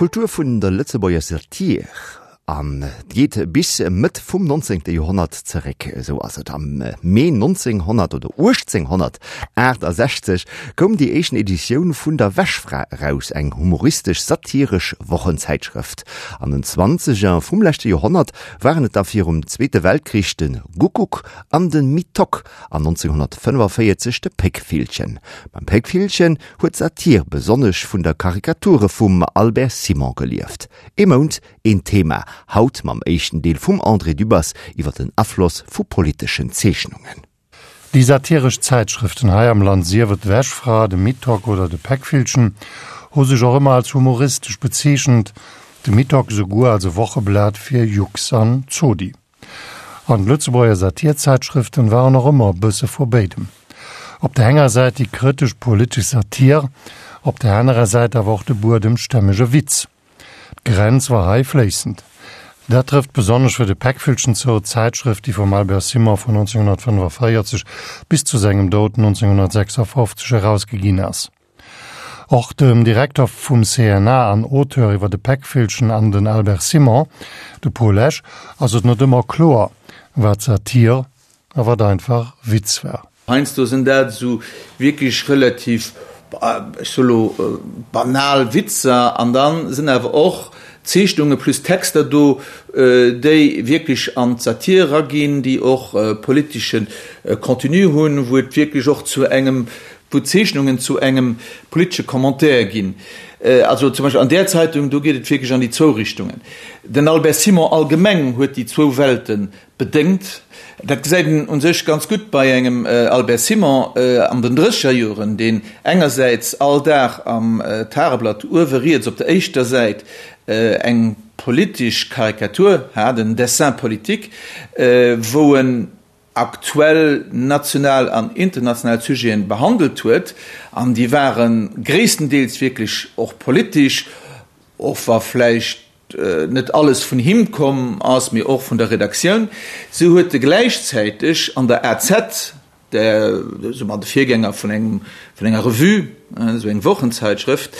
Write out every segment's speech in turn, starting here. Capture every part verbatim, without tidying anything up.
D'Kultur vun der Lëtzebuerger Satir an geet bis Mëtt vum nonzéngte Joerhonnert zeréck. Esou ass et am Mee nonzénghonnert oder uechtzénghonnertaachtasechzeg koum déi éischten Editioun vun der Wäschfra eraus, eng humoristesch-satiresch Wochenzäitschrëft. An den Zwanzeger vum leschte Joerhonnert waren et da virum Zweete Weltkrich de Guckuck an de Mitock an nonzénghonnertfënnefavéierzeg de Péckvillchen. Beim Péckvillchen huet d'Satir besonnesch vun der Karikature vum Albert Simon gelieft. Ee Mount, een Thema, haut mam éischten Deel vum André Dübbers iwwer den Afloss vu politeschen Zeechnungen. Déi satiresch Zäitschrëften hei am Land, sief et d'Wäschfra, de Mitock oder de Péckvillchen, hu sech och ëmmer als humoristesch bezeechent, de Mitock souguer als e Wocheblat fir Jux an Zodi. An d'Lëtzebuerger Satirzäitschrëften waren och ëmmer e bësse vu béidem. Op der enger Säit déi kritesch politesch Satir, op der anerer Säit awer och de buedemstämmege Witz. D'Grenz war hei fléissend. Dat trëfft besonnesch fir de Péckvillchen zou, d'Zäitschrëft, déi vum Albert Simon vun nonzénghonnertfënnefavéierzeg bis zu sengem Doud nonzénghonnertsechsafofzeg erausgeginn ass. Och dem Direkter vum C N A an Auteur iwwer de Péckvillchen an den Albert Simon, de Paul Lesch, ass et net ëmmer kloer, wat Satir a wat einfach Witz war. Heiansdo sinn dat esou wierklech relativ, ech soe lo, banal Witzer an da sinn awer och Zeechnunge plus Texter do, déi wierklech an d'Satir eraginn, déi och politesche Contenu hunn, wou et wierklech och zu engem, wou d'Zeechnungen zu engem politesche Commentaire ginn. Also zum Beispill an där Zeitung, do geet et wierklech an déi zwou Richtungen. Den Albert Simon allgemeng huet déi zwou Welte bedéngt. Dat gesäit een u sech ganz gutt bei engem Albert Simon an den drësseger Joren, deen engersäits all Dag am Tageblatt uewe riets op der éischter Säit eng politesch Karikatur hat, en Dessin politique, wou en aktuell national an international Sujeten behandelt huet, an déi ware gréisstendeels wierklech och politesch, och wa vläicht net alles vun him komm ass, mee och vun der Redaktioun. Sou huet e gläichzäiteg an der A Z, der, soe mer, de Virgänger vun engem, vun enger Revue, esou eng Wochenzeitschrëft,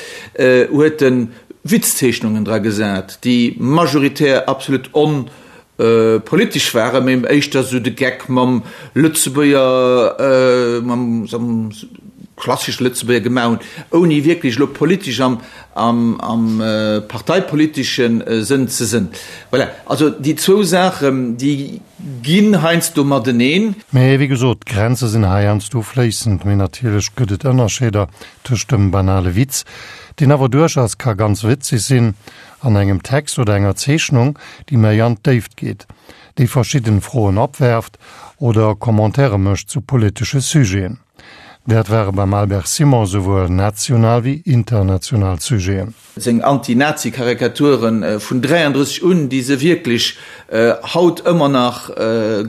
huet e Witzzeechnungen dra gesat, déi majoritär absolut on politesch waren, mee éischter esou de Geck mam Lëtzebuerger, mam klassesche Lëtzebuerger gemaach hunn, ouni wierklech elo politesch am, am, am parteipolitesche Sënn ze sënn. Voilà, also déi zwou Saachen, déi ginn heiansdo mateneen. Mee wéi gesot, d'Grenze sinn heiansdo fléissend. Mee natierlech gëtt et Ënnerscheeder tëscht dem banale Witz, deen awer duerchaus ka ganz witzeg sinn, an engem Text oder enger Zeechnung, déi méi an d'Déift geet, déi verschidden Froen opwerft oder Commentaire mécht zu politesche Sujeten. Dat ware beim Albert Simon souwuel national wéi international Sujeten. Seng Anti-Nazi-Karikaturen vun dräiandrësseg un, déi se wierklech haut ëmmer nach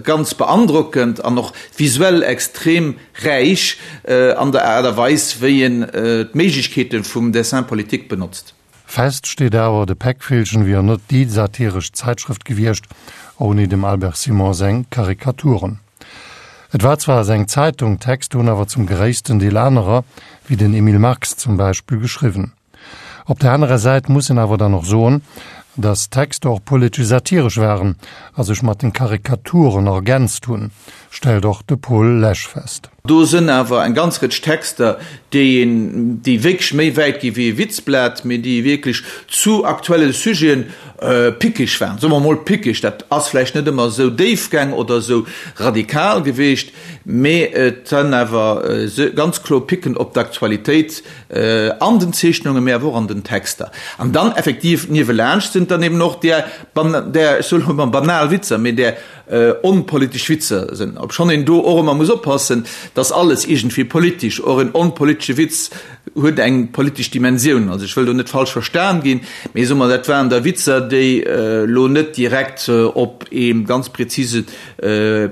ganz beandrockend an och visuell extrem räich an der Aart a Weis, wéi en d'Méiglechkeete vum Dessin politique benotzt. Fest steet awer, de Péckvillchen wier net déi satiresch Zäitschrëft gewiescht ouni dem Albert Simon seng Karikaturen. Et war zwar seng Zeitung, d'Texter hunn awer zum gréissten Deel anerer, wéi den Emile Marx zum Beispill, geschriwwen. Op der anerer Säit muss een awer dann och soen, datt d'Texter och politesch satiresch waren a sech mat den Karikaturen ergänzt hunn, stellt och de Paul Lesch fest. Do sënn awer eng ganz Rëtsch Texter, déi een, déi wierklech méi wäit gi wéi e Witzblat, mee déi wierklech zu aktuelle Sujeten pickeg waren, soe mer emol pickeg. Dat ass vläicht net ëmmer esou déifgäng oder esou radikal geweecht, mee et sënn awer ganz kloer Picken op d'Aktualitéit an den Zeechnungen, mee awer och an den Texter. An dann effektiv niewelaanscht sinn et dann eben och där, där, ech soe lo emol banal Witzer, mee där onpolitesch Witzer sinn, obschonn een do och ëmmer muss oppassen, dass alles iergendwéi politesch, och en onpolitesche Witz huet eng politesch Dimensioun. Also ech wëll do net falsch verstan ginn, mee soe mer, dat waren da Witzer, déi elo net direkt op ee ganz prezise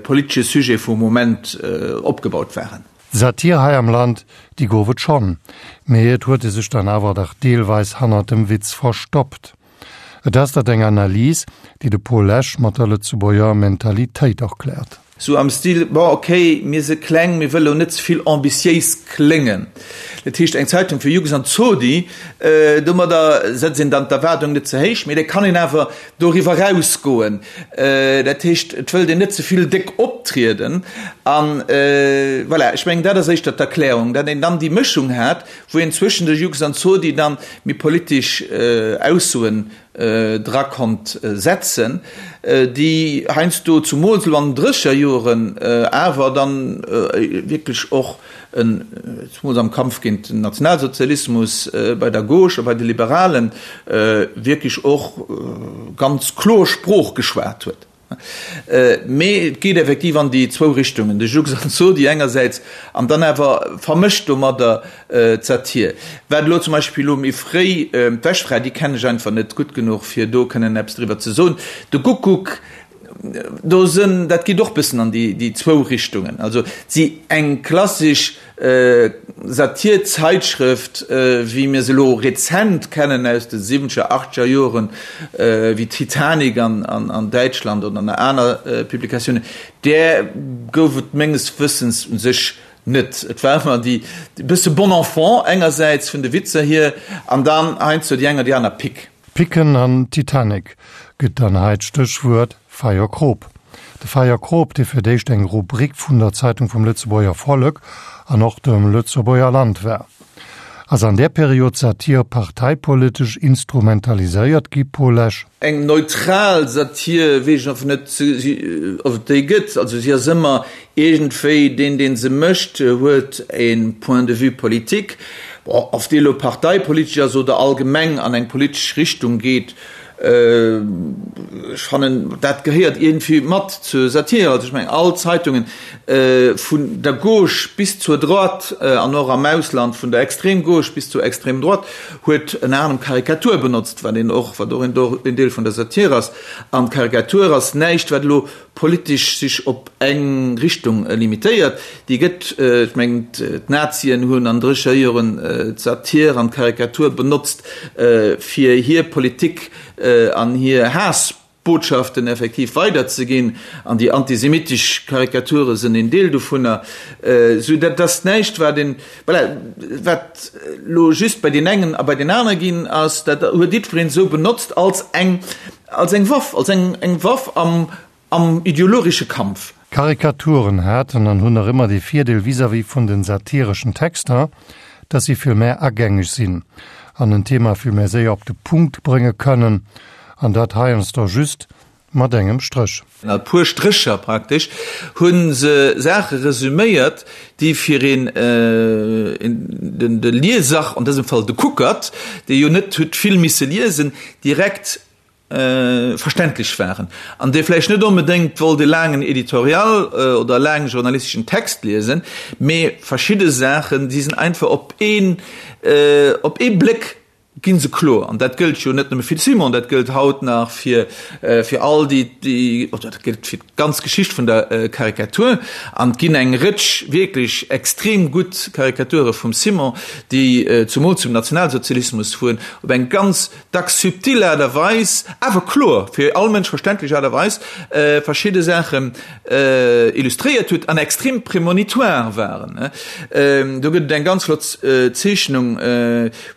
politesche Sujet vum Moment opgebaut waren. Satir hei am Land, déi gouf et schonn, mee et huet e sech dann awer dach deelweis hannert dem Witz verstoppt. Et ass dat eng Analys, déi de Paul Lesch mat der Lëtzebuerger Mentalitéit erkläert. Sou am Stil, bon ok, mir si kleng, mir wëlle lo net ze vill ambitiéis kléngen. Dat heescht eng Zeitung fir Jugend an Zodi, domadder setzt een dann d'Erwaardung net ze héich, mee da kann een awer doriwwer erausgoen. Dat heescht, et wëllt een net ze vill déck optrieden. An voilà, ech mengen dat ass éischter d'Erklärung, datt een dann déi Mëschung hat, wou een zwëschen de Jugend an Zodi dann méi politesch Aussoen dra konnt setzen, déi heiansdo, zumools elo an den drécheger Joren, awer dann wierklech och, zumools am Kampf géint den Nationalsozialismus bei der Gauche a bei de Liberalen, wierklech och ganz kloer Sprooch geschwat huet. Mee et geet effektiv an déi zwou Richtungen, de Jux an d'Zodi engersäits an dann awer vermëscht domadder d'Satir. Wat elo zum Beispill elo méi fréi, d'Wäschfra, déi kennen ech einfach net gutt genuch, fir do kënnen eppes driwwer ze soen. De Guckuck, do sënn, dat geet och bëssen an déi zwou Richtungen. Also si eng klassesch Satir-Zeitschrëft, wéi mir se elo rezent kennen aus de siwwenzeger, achtzeger Joren, wéi Titanic an Däitschland oder nach aner Publikatiounen, där gouf et menges Wëssens u sech net. Et war ëmmer déi bësse bon enfant engersäits vun de Witzer hier an dann heiansdo déi eng oder déi aner Pick. Picken an Titanic gëtt dann hei d'Stéchwuert Feierkrop. De Feierkrop, dee fir d'éischt eng Rubrik vun der Zeitung vum Lëtzebuerger Vollek an och dem Lëtzebuerger Land war. Ass an där Period d'Satir parteipolitesch instrumentaliséiert gi, Paul Lesch? Eng neutral Satir, weess ech einfach net, ob et déi gëtt. Also si ass ëmmer iergendwéi, deen, dee se mécht, huet e Point de vue politique. Bon, ob dee elo parteipolitesch ass oder allgemeng an eng politesch Richtung geet, ech fannen, dat gehéiert iergendwéi mat zur Satire. Also ech mengen, all Zeitungen, vun der Gauche bis zur Droite an och am Ausland vun der Extrême Gauche bis zur Extrême Droite, huet ënner anerem Karikatur benotzt, wat een och, wat och en Deel vun der Satire ass. An d'Karikatur ass näischt, wat elo politesch sech op eng Richtung limitéiert. Déi gëtt, ech mengen, d'Nazien hunn an drécher Joren d'Satir an d'Karikatur benotzt, fir hir Politik an hir Haassbotschaften effektiv weiderzeginn. An déi antisemitesch Karikature sinn een Deel dovunner. Sou dat ass näischt, wat een, voilà, wat elo just bei deen engen a bei deen anere ginn ass. Dat huet jiddwereen esou benotzt als eng, als eng Waff, als eng, eng Waff am Am ideologesche Kampf. Karikaturen haten an hunn nach ëmmer dee Virdeel vis-à-vis vun den satireschen Texter, dass si vill mär agängeg sinn an en Thema vill mär séier op de Punkt brénge kënnen, an dat heiansdo just mat engem Stréch. A puer Strécher praktesch hu se Saache resüméiert, déi fir een, de Lieser, an dësem Fall de Kuckert, dee jo net huet vill misse liesen, direkt verständlech waren an dee vläicht net onbedéngt wollt e laangen Editorial oder e laange journalisteschen Text liesen, mee verschidde Saachen, déi sinn einfach op een, op ee Bléck gi se kloer. An dat gëllt jo net nëmme fir de Simon, dat gëllt haut nach fir, fir all déi, déi, oder dat gëllt fir d'ganz Geschicht vun der Karikatur. An et ginn eng Rëtsch wierklech extrem gutt Karikature vum Simon, déi zumools zum Nationalsozialismus fueren, op eng ganz dacks subtil Aart a Weis, awer kloer, fir all Mënsch verständlech Aart a Weis, verschidde Saachen illustréiert huet an extrem prémonitoire waren. Do gëtt et eng ganz flott Zeechnung,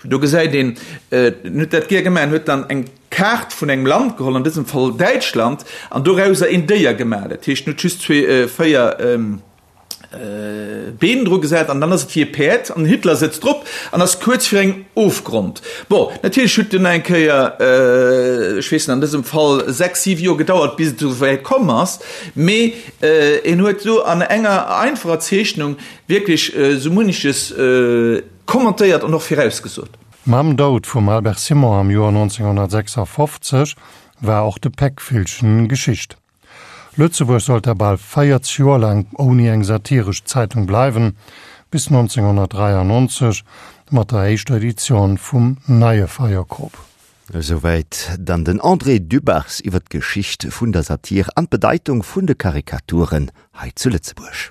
do gesäit een, en huet dat gär gemaach, en huet dann eng Kaart vun engem Land geholl, an dësem Fall Däitschland, an dorauser een Déier gemaach. Dat heescht, en huet just zwee, véier Been dru gesat an dann ass et wéi e Päerd an den Hitler sëtzt drop an ass kuerz fir engem Ofgrond. Bon, natierlech huet dunn eng Kéier, ech weess net, an dësem Fall sechs, siwe Joer gedauert, bis et esou wäit komm ass, mee en huet do an enger einfacher Zeechnung wierklech esou munneches kommentéiert an och virausgesot. Mam Doud vum Albert Simon am Joer nonzénghonnertsechsafofzeg war och de Péckvillchen Geschicht. Lëtzebuerg sollt da bal véierzeg Joer laang ouni eng satiresch Zeitung bleiwen, bis nonzénghonnertdräiannonzeg mat der éischter Editioun vum Neie Feierkrop. Esouwäit dann den André Dübbers iwwer d'Geschicht vun der Satir an d'Bedeitung vun de Karikaturen hei zu Lëtzebuerg.